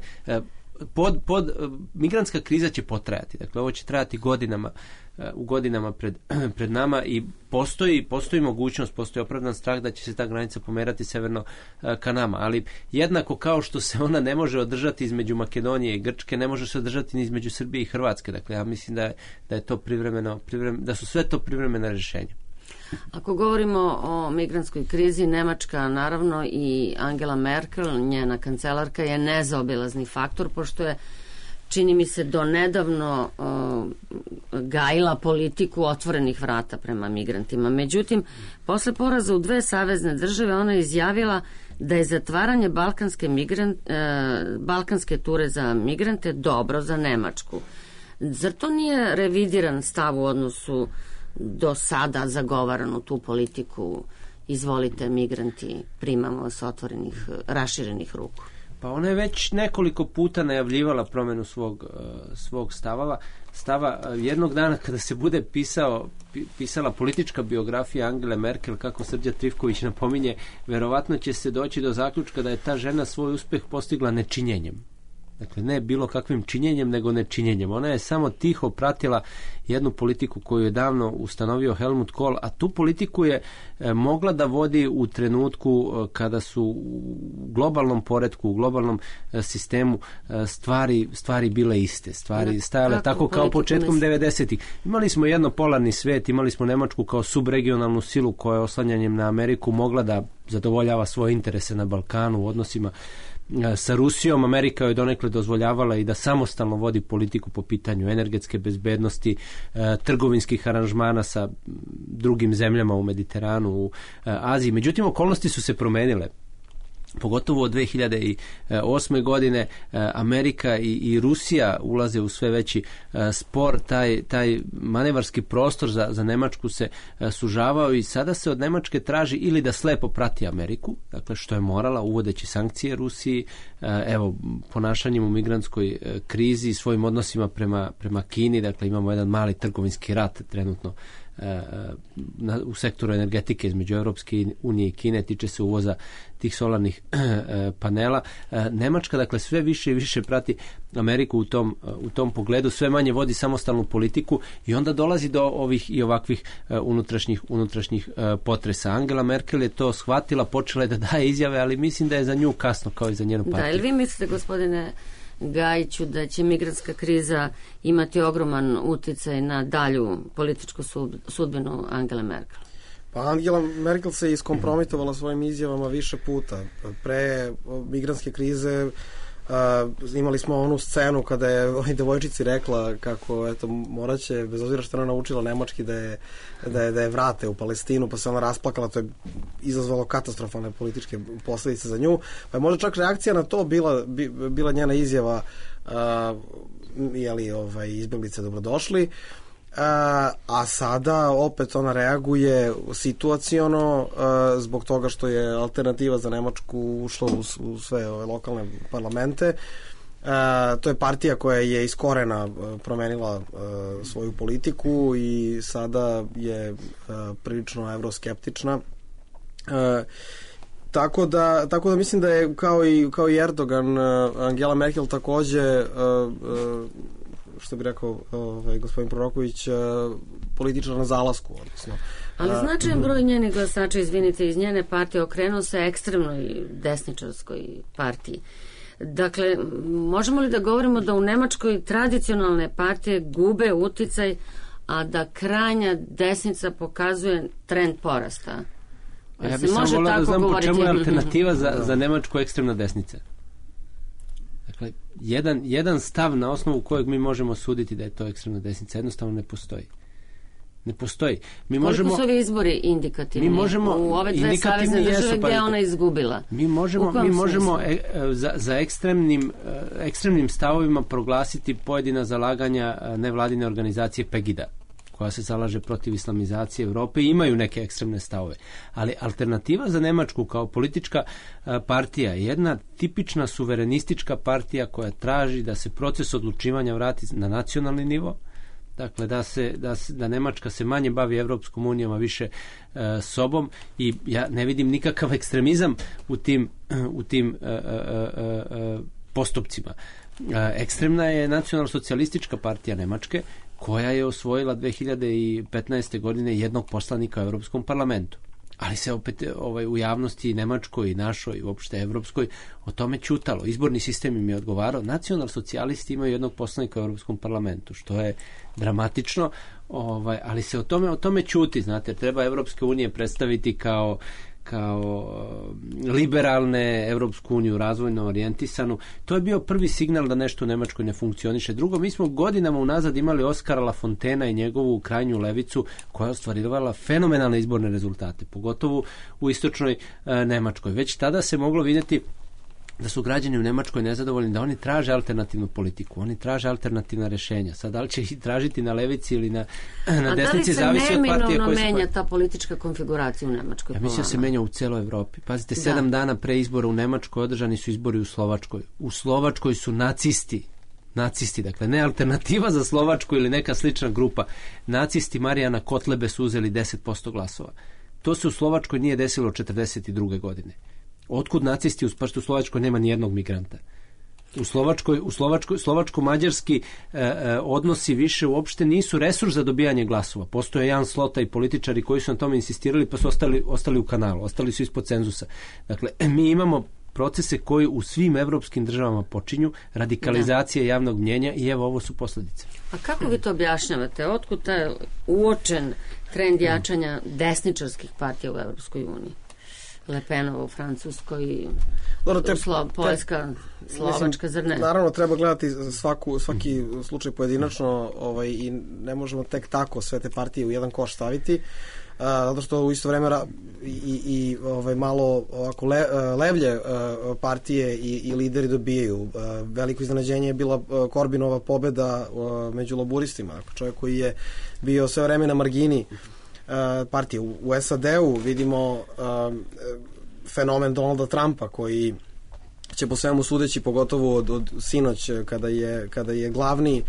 pod, pod, migrantska kriza će potrajati. Dakle, ovo će trajati godinama, u godinama pred, pred nama i postoji, postoji mogućnost, postoji opravdan strah da će se ta granica pomerati severno ka nama, ali jednako kao što se ona ne može održati između Makedonije i Grčke, ne može se održati ni između Srbije i Hrvatske. Dakle, ja mislim da je, da je to privremeno, privremeno, da su sve to privremena rješenja. Ako govorimo o migrantskoj krizi, Nemačka naravno i Angela Merkel, njena kancelarka, je nezaobilazni faktor, pošto je, čini mi se, do nedavno uh, gajila politiku otvorenih vrata prema migrantima. Međutim, posle poraza u dve savezne države ona je izjavila da je zatvaranje balkanske, migrant, uh, balkanske ture za migrante dobro za Nemačku. Zar to nije revidiran stav u odnosu do sada zagovaranu tu politiku? Izvolite, migranti, primamo s otvorenih, raširenih ruku. Pa ona je već nekoliko puta najavljivala promjenu svog, svog stavava. Stava jednog dana kada se bude pisao, pisala politička biografija Angele Merkel, kako Srđan Trifković napominje, verovatno će se doći do zaključka da je ta žena svoj uspeh postigla nečinjenjem. Dakle, ne bilo kakvim činjenjem, nego nečinjenjem. Ona je samo tiho pratila jednu politiku koju je davno ustanovio Helmut Kohl, a tu politiku je e, mogla da vodi u trenutku e, kada su u globalnom poretku, u globalnom e, sistemu e, stvari, stvari bile iste. Stvari stajale tako kao početkom devedesetih. Imali smo jednopolarni svet, imali smo Nemačku kao subregionalnu silu koja je oslanjanjem na Ameriku mogla da zadovoljava svoje interese na Balkanu u odnosima sa Rusijom. Amerika je donekle dozvoljavala i da samostalno vodi politiku po pitanju energetske bezbednosti, e, trgovinskih aranžmana sa drugim zemljama u Mediteranu, u e, Aziji. Međutim, okolnosti su se promenile. Pogotovo od dve hiljade osme godine Amerika i, i Rusija ulaze u sve veći spor, taj, taj manevarski prostor za, za Nemačku se sužavao i sada se od Nemačke traži ili da slepo prati Ameriku, dakle što je morala uvodeći sankcije Rusiji, evo ponašanjem u migrantskoj krizi, svojim odnosima prema, prema Kini, dakle imamo jedan mali trgovinski rat trenutno Na, u sektoru energetike između Europske unije i Kine, tiče se uvoza tih solarnih panela. Nemačka, dakle, sve više i više prati Ameriku u tom, u tom pogledu, sve manje vodi samostalnu politiku i onda dolazi do ovih i ovakvih unutrašnjih, unutrašnjih potresa. Angela Merkel je to shvatila, počela je da daje izjave, ali mislim da je za nju kasno, kao i za njenu partiju. Da, ili vi mislite, gospodine Gajiću, da će migrantska kriza imati ogroman uticaj na dalju političku sudbinu Angele Merkel? Pa Angela Merkel se iskompromitovala svojim izjavama više puta. Pre migrantske krize Uh, imali smo onu scenu kada je ovoj devojčici rekla kako eto moraće, bez obzira što ona naučila nemački, da je, da je, da je vrate u Palestinu, pa se ona rasplakala. To je izazvalo katastrofalne političke posljedice za nju, pa je možda čak reakcija na to bila, bi, bila njena izjava uh, jeli, ovaj, izbjeglice dobrodošli. A, a sada opet ona reaguje situaciono a, zbog toga što je alternativa za Nemačku ušla u, u sve ove lokalne parlamente. A, to je partija koja je iz korena promenila a, svoju politiku i sada je a, prilično evroskeptična. A, tako da tako da mislim da je kao i kao i Erdogan, Angela Merkel takođe, a, a, što bi rekao ovaj, gospodin Proroković, političar na zalasku. Odnosno. Ali značajan broj njenih glasača, izvinite, iz njene partije okrenuo se ekstremnoj desničarskoj partiji. Dakle, možemo li da govorimo da u Nemačkoj tradicionalne partije gube uticaj, a da krajnja desnica pokazuje trend porasta? A ja bih samo volao da znam po čemu je alternativa za, za Nemačku ekstremna desnica. Dakle, jedan, jedan stav na osnovu kojeg mi možemo suditi da je to ekstremna desnica jednostavno ne postoji. Ne postoji. Mi Koliko možemo, su ovi izbori indikativni? Mi možemo, u ove dve savezne države gdje je ona izgubila? Mi možemo, mi možemo e, za, za ekstremnim, ekstremnim stavovima proglasiti pojedina zalaganja nevladine organizacije Pegida, koja se zalaže protiv islamizacije Evrope i imaju neke ekstremne stavove. Ali alternativa za Nemačku kao politička partija je jedna tipična suverenistička partija koja traži da se proces odlučivanja vrati na nacionalni nivo, dakle da se da, se, da Nemačka se manje bavi Evropskom unijom, a više e, sobom, i ja ne vidim nikakav ekstremizam u tim, u tim e, e, e, postupcima. E, ekstremna je nacionalno-socijalistička partija Nemačke, koja je osvojila dve hiljade petnaeste. godine jednog poslanika u Evropskom parlamentu. Ali se opet ovaj, u javnosti nemačkoj i našoj i uopšte evropskoj o tome ćutalo. Izborni sistem im je odgovarao. Nacional-socijalisti imaju jednog poslanika u Evropskom parlamentu, što je dramatično, ovaj, ali se o tome, o tome ćuti. Znate, treba Evropske unije predstaviti kao kao liberalne, Evropsku uniju razvojno orijentisanu. To je bio prvi signal da nešto u Nemačkoj ne funkcioniše. Drugo, mi smo godinama unazad imali Oskara Lafontena i njegovu krajnju levicu koja je ostvarivala fenomenalne izborne rezultate, pogotovo u istočnoj e, Nemačkoj. Već tada se moglo vidjeti da su građani u Nemačkoj nezadovoljni, da oni traže alternativnu politiku, oni traže alternativna rešenja. Sad, da li će ih tražiti na levici ili na, na desnici, zavisi od partije koje se... A da li se neminovno menja ta politička konfiguracija u Nemačkoj? Ja mislim da se menja u celoj Evropi. Pazite, da. sedam dana pre izbora u Nemačkoj održani su izbori u Slovačkoj. U Slovačkoj su nacisti, nacisti, dakle ne alternativa za Slovačku ili neka slična grupa, nacisti Marijana Kotlebe su uzeli deset posto glasova. To se u Slovačkoj nije desilo od četrdeset druge. godine. Otkud nacisti, u u Slovačkoj nema ni jednog migranta. U Slovačkoj, u Slovačkoj, slovačko-mađarski e, e, odnosi više uopšte nisu resurs za dobijanje glasova. Postoje Jan Slota i političari koji su na tome insistirali, pa su ostali, ostali u kanalu, ostali su ispod cenzusa. Dakle, mi imamo procese koji u svim evropskim državama počinju, radikalizacija da. javnog mnjenja, i evo ovo su posljedice. A kako vi to objašnjavate? Otkud taj uočen trend jačanja desničarskih partija u Evropskoj uniji? Le Penova u Francuskoj, Dobro, te, Slo, Poljska, te, Slovačka, zar ne? Naravno, treba gledati svaku, svaki slučaj pojedinačno, ovaj, i ne možemo tek tako sve te partije u jedan koš staviti, a, zato što u isto vreme i, i ovaj, malo ovako le, levlje a, partije i, i lideri dobijaju. A, veliko iznenađenje je bila a, Korbinova pobeda a, među laburistima, čovjek koji je bio sve vreme na margini partije. U, u S A D-u vidimo um, fenomen Donalda Trumpa koji će po svemu sudeći, pogotovo od, od sinoć kada je, kada je glavni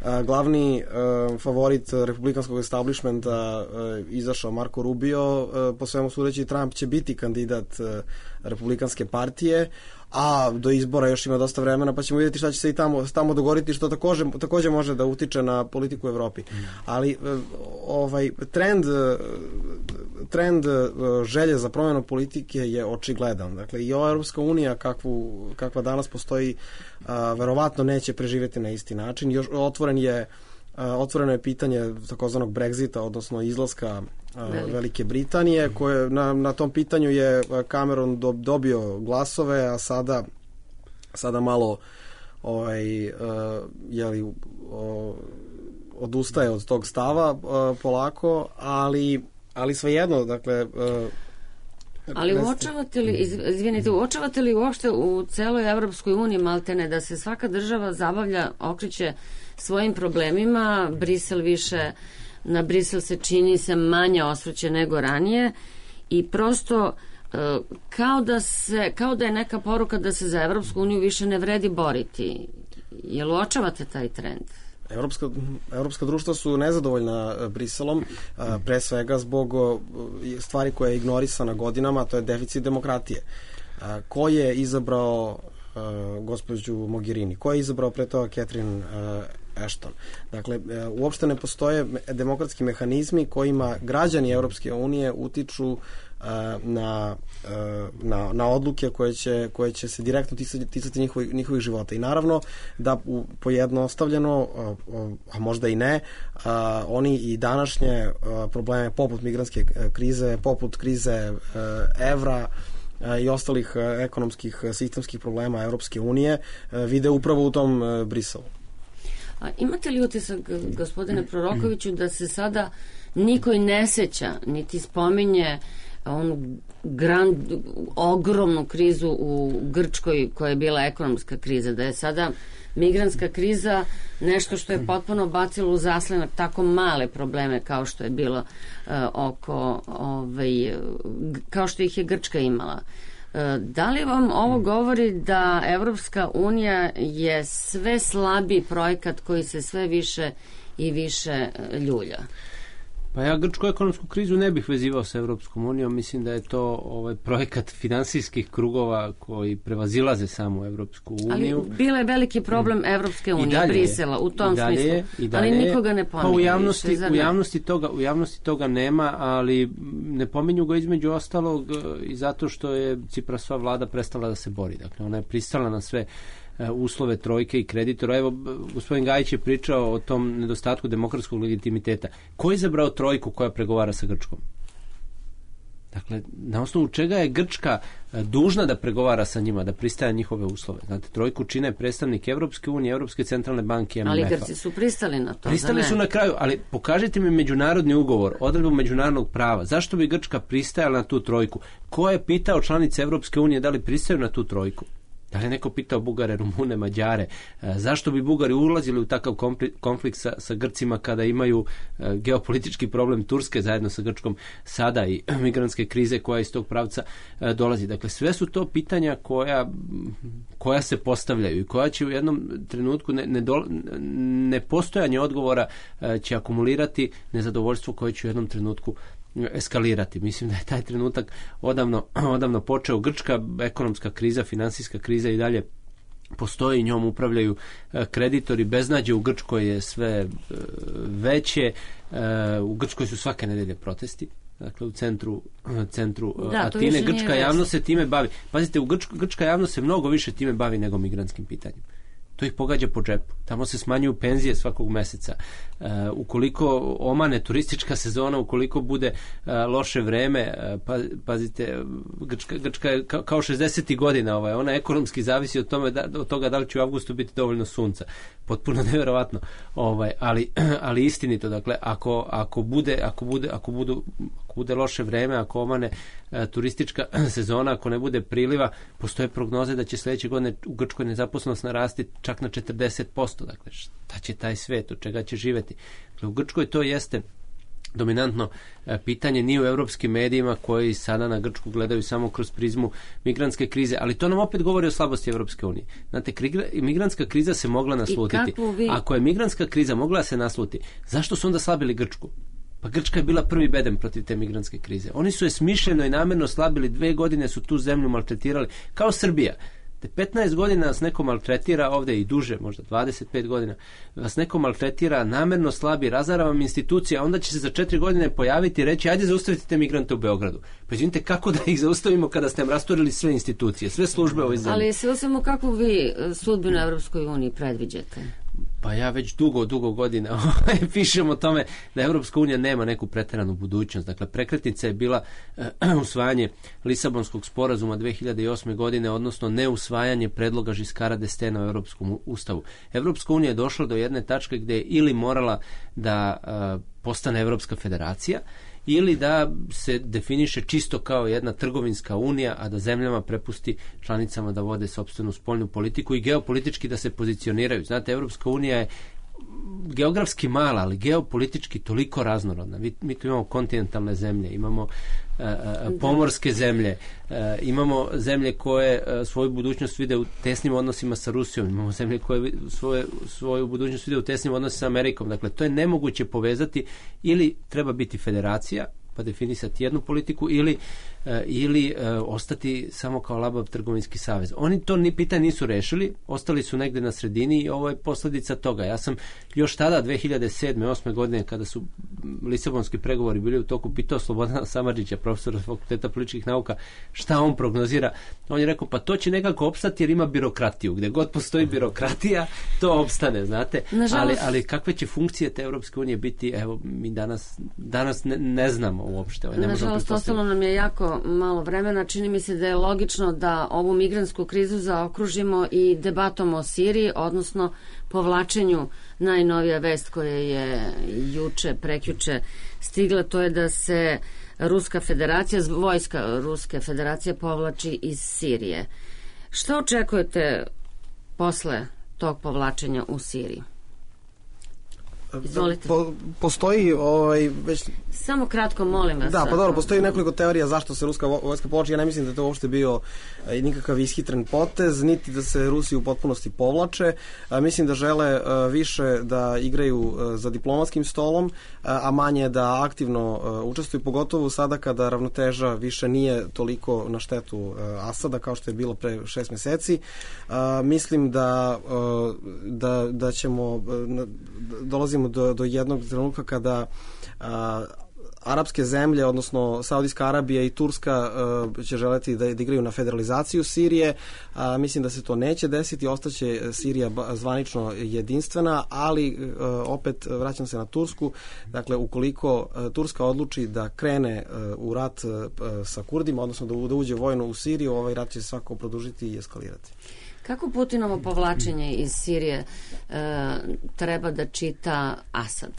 uh, glavni uh, favorit republikanskog establishmenta uh, izašao Marco Rubio, uh, po svemu sudeći Trump će biti kandidat uh, republikanske partije, a do izbora još ima dosta vremena, pa ćemo vidjeti šta će se i tamo, tamo dogovoriti, što takođe, takođe može da utiče na politiku u Evropi. Ali ovaj trend trend želje za promjenu politike je očigledan. Dakle, i ova Europska unija kakvu, kakva danas postoji, a, verovatno neće preživjeti na isti način. Još otvoren je otvoreno je pitanje takozvanog Brexita, odnosno izlaska Velik. Velike Britanije, koje na, na tom pitanju je Cameron do, dobio glasove, a sada sada malo ovaj, uh, jeli, uh, odustaje od tog stava uh, polako, ali, ali svejedno, dakle... Uh, Ali uočavate li, izvinite, uočavate li uopšte u celoj Evropskoj uniji, maltene, da se svaka država zabavlja, okreće svojim problemima. Brisel više, na Brisel se čini se manje osvrće nego ranije i prosto kao da, se, kao da je neka poruka da se za Evropsku uniju više ne vredi boriti. Jel uočavate taj trend? Evropska, evropska društva su nezadovoljna Briselom, pre svega zbog stvari koja je ignorisana godinama, to je deficit demokratije. Ko je izabrao gospođu Mogherini? Ko je izabrao pre toga Catherine Ashton? Dakle, uopšte ne postoje demokratski mehanizmi kojima građani Evropske unije utiču na, na, na odluke koje će, koje će se direktno ticati, ticati njihovih, njihovih života. I naravno da u, pojednostavljeno, a možda i ne, a, oni i današnje a, probleme poput migrantske krize, poput krize a, evra a, i ostalih a, ekonomskih sistemskih problema Evropske unije a, vide upravo u tom a, Briselu. A imate li utisak, gospodine Prorokoviću, da se sada niko i ne seća, niti spominje onu grand, ogromnu krizu u Grčkoj koja je bila ekonomska kriza, da je sada migrantska kriza nešto što je potpuno bacilo u zaslenak tako male probleme kao što je bilo uh, oko ovaj, kao što ih je Grčka imala. Uh, da li vam ovo govori da Evropska unija je sve slabiji projekat koji se sve više i više ljulja? Pa ja grčku ekonomsku krizu ne bih vezivao sa Evropskom unijom, mislim da je to ovaj projekat finansijskih krugova koji prevazilaze samo Evropsku uniju. Ali bila je veliki problem Evropske unije, Brisela, u tom dalje smislu, je, ali nikoga ne pominje. Pa u javnosti, više, u, javnosti toga, u javnosti toga nema, ali ne pominju ga između ostalog i zato što je Ciprasova vlada prestala da se bori. Dakle, ona je pristala na sve uslove trojke i kreditora. Evo, gospodin Gajić je pričao o tom nedostatku demokratskog legitimiteta. Ko je izabrao trojku koja pregovara sa Grčkom? Dakle, na osnovu čega je Grčka dužna da pregovara sa njima, da pristaje njihove uslove? Znate, trojku čine predstavnik Evropske unije, Evropske centralne banke, M M F-a. Ali Grci su pristali na to. Pristali su na kraju, ali pokažite mi međunarodni ugovor, odredbu međunarodnog prava. Zašto bi Grčka pristajala na tu trojku? Ko je pitao članice Evropske unije da li pristaju na tu trojku? Da li je neko pitao Bugare, Rumune, Mađare, e, zašto bi Bugari ulazili u takav konflikt sa, sa Grcima kada imaju e, geopolitički problem Turske zajedno sa Grčkom sada i migrantske krize koja iz tog pravca e, dolazi. Dakle, sve su to pitanja koja, koja se postavljaju i koja će u jednom trenutku ne, ne do, nepostojanje odgovora e, će akumulirati nezadovoljstvo koje će u jednom trenutku eskalirati. Mislim da je taj trenutak odavno, odavno počeo. Grčka ekonomska kriza, finansijska kriza i dalje postoji, njom upravljaju kreditori, beznađe u Grčkoj je sve veće, u Grčkoj su svake nedelje protesti, dakle u centru, centru da, Atine. Grčka javnost se time bavi. Pazite, u Grčka, grčka javnost se mnogo više time bavi nego migrantskim pitanjem. To ih pogađa po džepu. Tamo se smanjuju penzije svakog meseca. Uh, ukoliko omane turistička sezona, ukoliko bude uh, loše vreme, uh, pa, pazite, Grčka, Grčka je ka, kao šezdesetih godina, ovaj, ona ekonomski zavisi od, tome da, od toga da li će u avgustu biti dovoljno sunca. Potpuno nevjerovatno. Ovaj, ali, ali istinito, dakle, ako, ako, bude, ako, bude, ako, budu, ako bude loše vreme, ako omane uh, turistička sezona, ako ne bude priliva, postoje prognoze da će sledeće godine u Grčkoj nezaposlenost narasti čak na četrdeset posto. Dakle, šta će taj svet, od čega će živeti? Dakle, u Grčkoj to jeste dominantno e, pitanje, nije u evropskim medijima koji sada na Grčku gledaju samo kroz prizmu migrantske krize, ali to nam opet govori o slabosti Evropske unije. Znate, migrantska kriza se mogla naslutiti. Vi... Ako je migrantska kriza mogla se nasluti, zašto su onda slabili Grčku? Pa Grčka je bila prvi bedem protiv te migrantske krize. Oni su je smišljeno i namjerno slabili, dve godine su tu zemlju maltretirali, kao Srbija. Te petnaest godina vas neko maltretira, ovde i duže, možda dvadeset pet godina, vas neko maltretira, namerno slabi, razara vam institucija, onda će se za četiri godine pojaviti i reći, ajde zaustavite te migrante u Beogradu. Pa izvinite, kako da ih zaustavimo kada ste nam rasturili sve institucije, sve službe ovoj zemlji? Ali sve samo kako vi sudbinu Evropskoj uniji predviđate? Pa ja već dugo, dugo godina pišem o tome da Evropska unija nema neku preteranu budućnost. Dakle, prekretnica je bila uh, usvajanje Lisabonskog sporazuma dve hiljade osme godine, odnosno neusvajanje predloga Žiskara d'Estainga u Evropskom ustavu. Evropska unija je došla do jedne tačke gde je ili morala da uh, postane Evropska federacija, ili da se definiše čisto kao jedna trgovinska unija, a da zemljama prepusti članicama da vode sopstvenu spoljnu politiku i geopolitički da se pozicioniraju. Znate, Evropska unija je geografski mala, ali geopolitički toliko raznorodna. Mi, mi tu imamo kontinentalne zemlje, imamo e, e, pomorske zemlje, e, imamo zemlje koje e, svoju budućnost vide u tesnim odnosima sa Rusijom, imamo zemlje koje svoje, svoju budućnost vide u tesnim odnosima sa Amerikom. Dakle, to je nemoguće povezati, ili treba biti federacija, pa definisati jednu politiku, ili, e, ili e, ostati samo kao labav trgovinski savez. Oni to ni pitanje nisu rešili, ostali su negde na sredini i ovo je posljedica toga. Ja sam još tada, dve hiljade sedme osme godine, kada su lisabonski pregovori bili u toku, pitao Slobodana Samardžića, profesora Fakulteta političkih nauka, šta on prognozira. On je rekao, pa to će nekako opstati jer ima birokratiju. Gde god postoji birokratija, to opstane, znate. Nažalost, ali, ali kakve će funkcije te Europske unije biti, evo, mi danas, danas ne, ne znamo uopšte. Ne Nažalost, ostalo nam je jako malo vremena. Čini mi se da je logično da ovu migrantsku krizu zaokružimo i debatom o Siriji, odnosno povlačenju. Najnovija vest koja je juče, prekjuče stigla, to je da se Ruska federacija, vojska Ruske federacije povlači iz Sirije. Što očekujete posle tog povlačenja u Siriji? Izvolite. Po, postoji ovaj, već... Samo kratko, molim vas. Da, pa dobro, postoji nekoliko teorija zašto se ruska vojska povlači. Ja ne mislim da je to uopšte bio nikakav ishitren potez, niti da se Rusi u potpunosti povlače. Mislim da žele više da igraju za diplomatskim stolom, a manje da aktivno učestvuju, pogotovo sada kada ravnoteža više nije toliko na štetu Asada kao što je bilo pre šest meseci. Mislim da, da, da ćemo dolazimo do, do jednog trenutka kada a, arapske zemlje, odnosno Saudijska Arabija i Turska uh, će želeti da, da igraju na federalizaciju Sirije. Uh, mislim da se to neće desiti, ostaće Sirija zvanično jedinstvena, ali uh, opet vraćam se na Tursku. Dakle, ukoliko uh, Turska odluči da krene uh, u rat uh, sa Kurdima, odnosno da, da uđe vojno u Siriju, ovaj rat će svako produžiti i eskalirati. Kako Putinovo povlačenje iz Sirije uh, treba da čita Asad?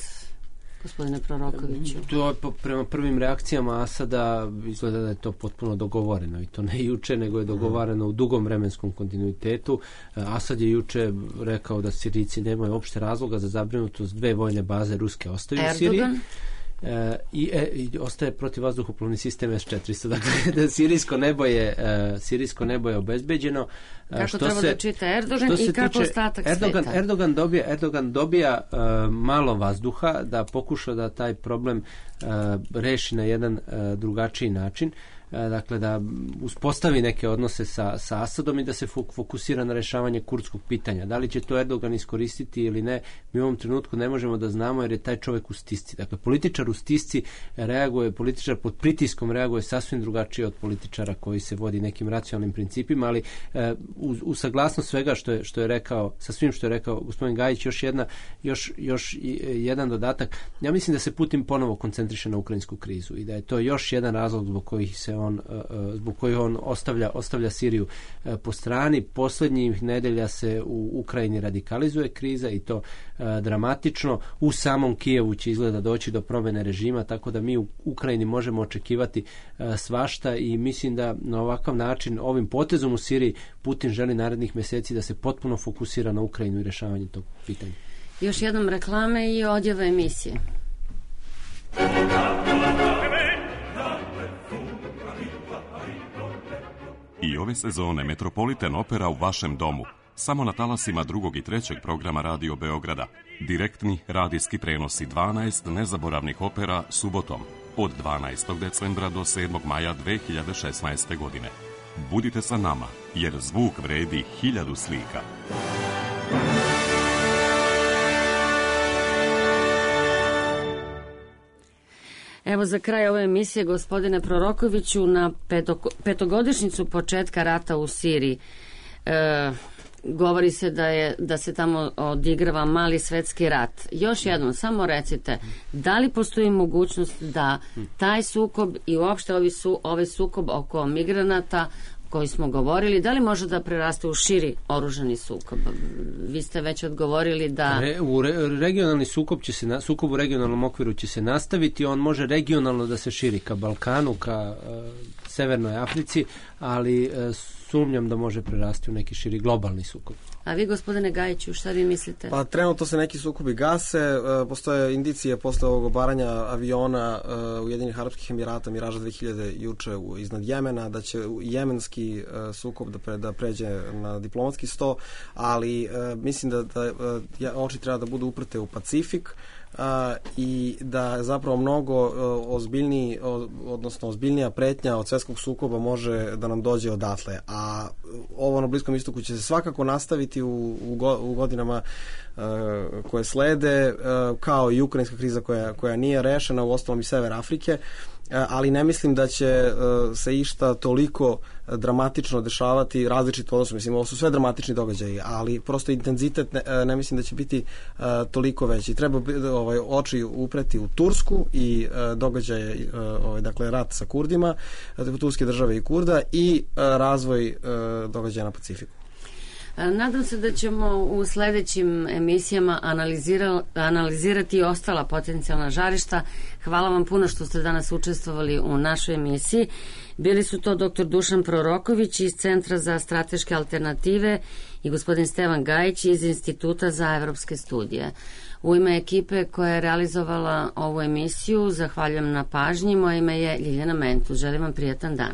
Gospodine Prorokoviću. To, prema prvim reakcijama Asada izgleda da je to potpuno dogovoreno, i to ne juče, nego je dogovarano u dugom vremenskom kontinuitetu. Asad je juče rekao da Sirijci nemaju opšte razloga za zabrinutost, dve vojne baze ruske ostaju u Siriji. E, i, e, i ostaje protivvazduhoplovni sistem S četiristo. Dakle, da sirijsko nebo je e, sirijsko nebo je obezbeđeno. Kako što treba se, da čita Erdogan i kako ostatak Erdogan, sveta? Erdogan dobija, Erdogan dobija e, malo vazduha da pokuša da taj problem e, reši na jedan e, drugačiji način. Dakle, da uspostavi neke odnose sa, sa Asadom i da se fokusira na rešavanje kurdskog pitanja. Da li će to Erdogan iskoristiti ili ne, mi u ovom trenutku ne možemo da znamo, jer je taj čovjek u stisci. Dakle, političar u stisci reaguje, političar pod pritiskom reaguje sasvim drugačije od političara koji se vodi nekim racionalnim principima, ali e, u, u saglasnost svega što je, što je rekao, sa svim što je rekao gospodin Gajić, još jedna, još, još jedan dodatak. Ja mislim da se Putin ponovo koncentriše na ukrajinsku krizu i da je to još jedan razlog zbog kojih se on, zbog kojih on ostavlja, ostavlja Siriju po strani. Posljednjih nedelja se u Ukrajini radikalizuje kriza i to dramatično. U samom Kijevu će izgleda doći do promjene režima, tako da mi u Ukrajini možemo očekivati svašta i mislim da na ovakav način, ovim potezom u Siriji, Putin želi narednih mjeseci da se potpuno fokusira na Ukrajinu i rješavanje tog pitanja. Još jednom reklame i odjava emisije. I ove sezone Metropolitan Opera u vašem domu. Samo na talasima drugog i trećeg programa Radio Beograda. Direktni radijski prenosi dvanaest nezaboravnih opera subotom od dvanaestog decembra do sedmog maja dve hiljade šesnaeste. godine. Budite sa nama, jer zvuk vredi hiljadu slika. Evo za kraj ove emisije, gospodine Prorokoviću, na petogodišnjicu početka rata u Siriji. E, govori se da, je, da se tamo odigrava mali svetski rat. Još jednom, samo recite, da li postoji mogućnost da taj sukob i uopšte ovi su, ovaj sukob oko migranata koji smo govorili, da li može da preraste u širi oružani sukob? Vi ste već odgovorili da... Re, u re, regionalni sukob će se, na, sukob u regionalnom okviru će se nastaviti, on može regionalno da se širi ka Balkanu, ka uh, Severnoj Africi, ali uh, sumnjam da može prerasti u neki širi globalni sukob. A vi, gospodine Gajiću, šta vi mislite? Pa trenutno se neki sukobi gase, postoje indicije posle ovog obaranja aviona Ujedinjenih Arapskih Emirata Miraža dve hiljade juče iznad Jemena, da će jemenski sukob da, pre, da pređe na diplomatski sto, ali mislim da, da oči treba da budu uprte u Pacifik, Uh, i da zapravo mnogo uh, ozbiljniji, uh, odnosno ozbiljnija pretnja od svjetskog sukoba može da nam dođe odatle, a ovo na Bliskom istoku će se svakako nastaviti u, u, go, u godinama uh, koje slede, uh, kao i ukrajinska kriza koja, koja nije rešena, u ostalom i Sever Afrike, uh, ali ne mislim da će uh, se išta toliko dramatično dešavati, različito odnosno, mislim, ovo su sve dramatični događaji, ali prosto intenzitet ne, ne mislim da će biti uh, toliko veći. Treba ovaj, oči upreti u Tursku i uh, događaje, uh, ovaj, dakle, rat sa Kurdima, Turske države i Kurda i uh, razvoj uh, događaja na Pacifiku. Nadam se da ćemo u sledećim emisijama analizira, analizirati i ostala potencijalna žarišta. Hvala vam puno što ste danas učestvovali u našoj emisiji. Bili su to doktor Dušan Proroković iz Centra za strateške alternative i gospodin Stevan Gajić iz Instituta za evropske studije. U ime ekipe koja je realizovala ovu emisiju zahvaljujem na pažnji. Moje ime je Ljiljana Mentu. Želim vam prijatan dan.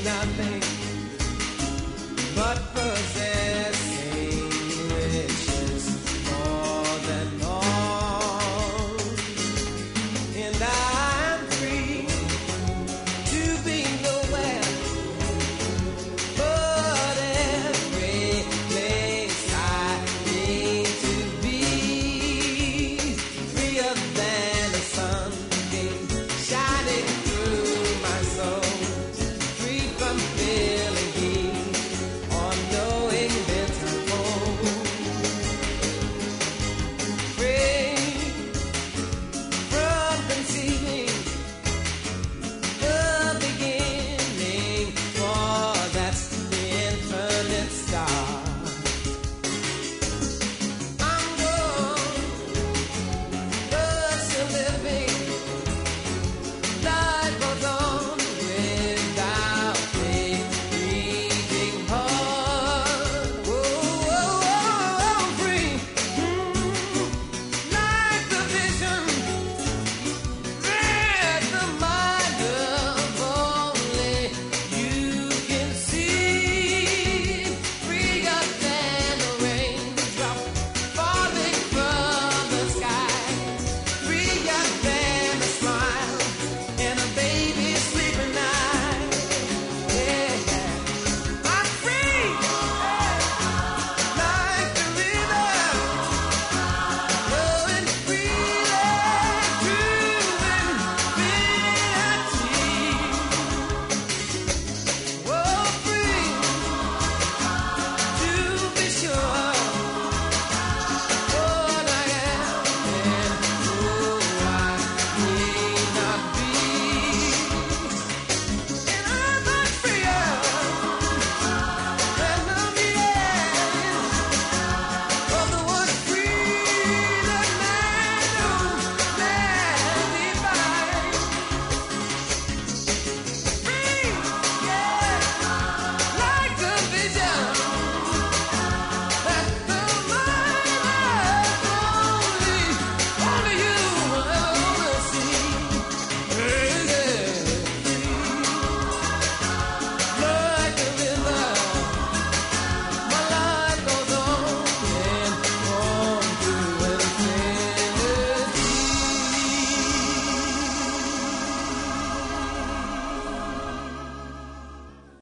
Nothing